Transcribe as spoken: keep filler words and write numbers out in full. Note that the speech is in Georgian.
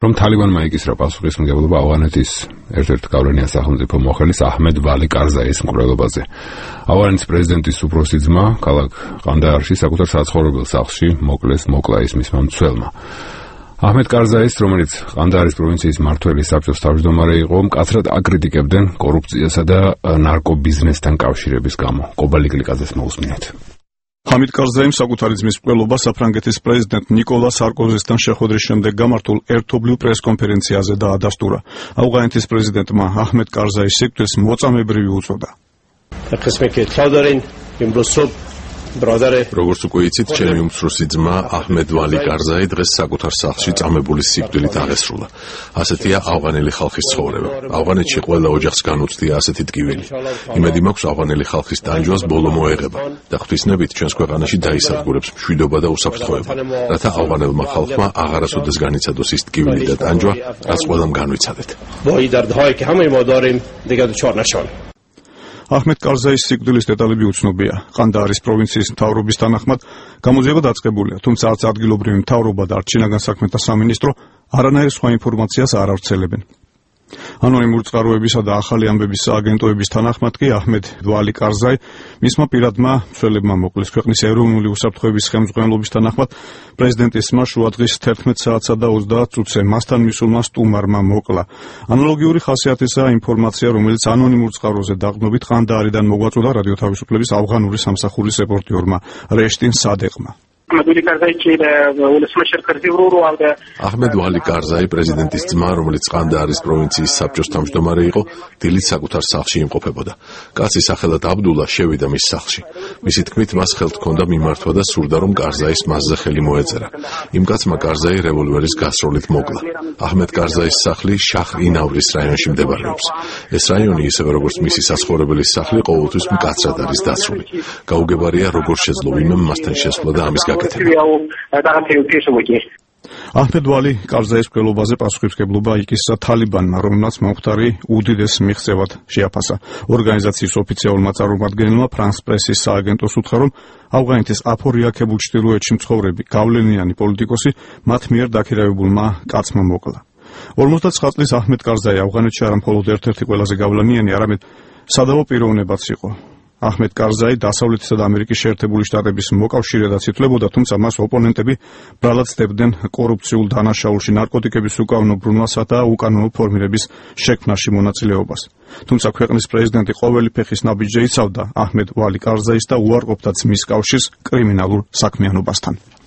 რომ თალიბანმა იკისრა პასუხისმგებლობა ავღანეთის ერთ-ერთ გავლენიან სახელმწიფო მოხელის აჰმედ ვალი კარზაის მკვლელობაზე. ავღანეთის პრეზიდენტის უფროსი ძმა ქალაქ ყანდაარში საკუთარ საცხოვრებელ სახლში მოკლეს მოკლა ის მისმა მცველმა. აჰმედ კარზაის, რომელიც ყანდაარის პროვინციის მმართველი საბჭოს თავმჯდომარე იყო, მკაცრად აკრიტიკებდნენ კორუფციასა და ნარკობიზნესთან კავშირების გამო. კობალი გლიკაძეს მოусმინეთ. ჰამიდ კარზაიმ საკუთარი ძმის მკვლელობა საფრანგეთის პრეზიდენტ ნიკოლა სარკოზისთან შეხვედრის შემდეგ გამართულ ერთობლივ პრესკონფერენციაზე დაადასტურა. ავღანეთის პრეზიდენტმა აჰმედ კარზაის სიკვდილს მოწამებრივი უწოდა. როგორც უკვე იცით, ჩემი უმცროსი ძმა აჰმედ ვალი კარზაი დღეს საკუთარ სახლში წამებული სიკვდილით აღესრულა. ასეთია ავღანელი ხალხის ცხოვრება. ავღანეთში ყველა ოჯახს განუცდია ასეთი ტკივილი. იმედი მაქვს ავღანელი ხალხის ტანჯვას ბოლო მოეღება და ღვთისნებით ჩვენს ქვეყანაში დაისადგურებს მშვიდობა და უსაფრთხოება, რათა ავღანელმა ხალხმა აღარასოდეს განიცადოს ის ტკივილი და ტანჯვა, რაც ყველამ განვიცადეთ. აჰმედ კარზაის სიკვდილის დეტალები უცნობია. ყანდაარის პროვინციის მთავრობის თანახმად გამოძიება დაწყებულია, თუმცა არც ადგილობრივი მთავრობა და არც შინაგან საქმეთა სამინისტრო არანაირ სხვა ინფორმაციას არ ავრცელებენ. ანონიმური წყაროებისა და ახალი ამბების აგენტოების თანახმად კი აჰმედ ვალი კარზაი მისმა პირადმა მცველებმა მოკლეს. ქვეყნის ეროვნული უსაფრთხოების ხელმძღვანელობის თანახმად პრეზიდენტის ძმა შუადღის თერთმეტ საათსა და ოცდაათ წუთზე მასთან მისულმა სტუმარმა მოკლა. ანალოგიური ხასიათისაა ინფორმაცია, რომელიც ანონიმურ წყაროზე დაყრდნობით ყანდაარიდან მოგვაწოდა რადიო თავისუფლების ავღანური სამსახურის რეპორტიორმა რეშტინ სადეყმა. აჰმედ ვალი კარზაი პრეზიდენტის ძმა, რომელიც ყანდაარის პროვინციის საბჭოს თავმჯდომარე იყო, დილით საკუთარ სახლში იმყოფებოდა. კაცი სახელად აბდულა შევიდა მის სახლში. მისი თქმით, მას ხელთ ჰქონდა მიმართვა და სურდა, რომ კარზაის მასზე ხელი მოეწერა. იმ კაცმა კარზაი რევოლვერის გასროლით მოკლა. აჰმედ კარზაის სახლი შაჰ-ინ-ავრის რაიონში მდებარეობს. ეს რაიონი, ისევე როგორც მისი საცხოვრებელი სახლი, ყოველთვის მკაცრად არის დაცული. გაუგებარია, როგორ შეძლო ვინმე მასთან შესვლა და ამის აჰმედ ვალი კარზაის მკვლელობაზე პასუხისმგებლობა იკისრა თალიბანმა, რომელმაც მომხდარი უდიდეს მიღწევად შეაფასა. ორგანიზაციის ოფიციალურმა წარმომადგენელმა ფრანს პრესის სააგენტოს უთხრა, რომ ავღანეთის აფორიაქებულ ჩრდილოეთში მცხოვრები გავლენიანი პოლიტიკოსი მათ მიერ დაქირავებულმა კაცმა მოკლა. ორმოცდაცხრა წლის აჰმედ კარზაი ავღანეთში არა მხოლოდ ერთ-ერთი ყველაზე გავლენიანი, არამედ სადავო პიროვნებაც იყო. აჰმედ კარზაი დასავლეთისა და ამერიკის შეერთებული შტატების მოკავშირედაც ითვლებოდა, თუმცა მას ოპონენტები ბრალად ცდებდნენ კორუფციულ დანაშაულში, ნარკოტიკების უკანონო ბრუნვასა და უკანონო ფორმირების შექმნაში მონაწილეობას. თუმცა ქვეყნის პრეზიდენტი ყოველი ფეხის ნაბიჯზე იცავდა აჰმედ ვალი კარზაის და უარყოფდა ძმის კავშირს კრიმინალურ საქმიანობასთან.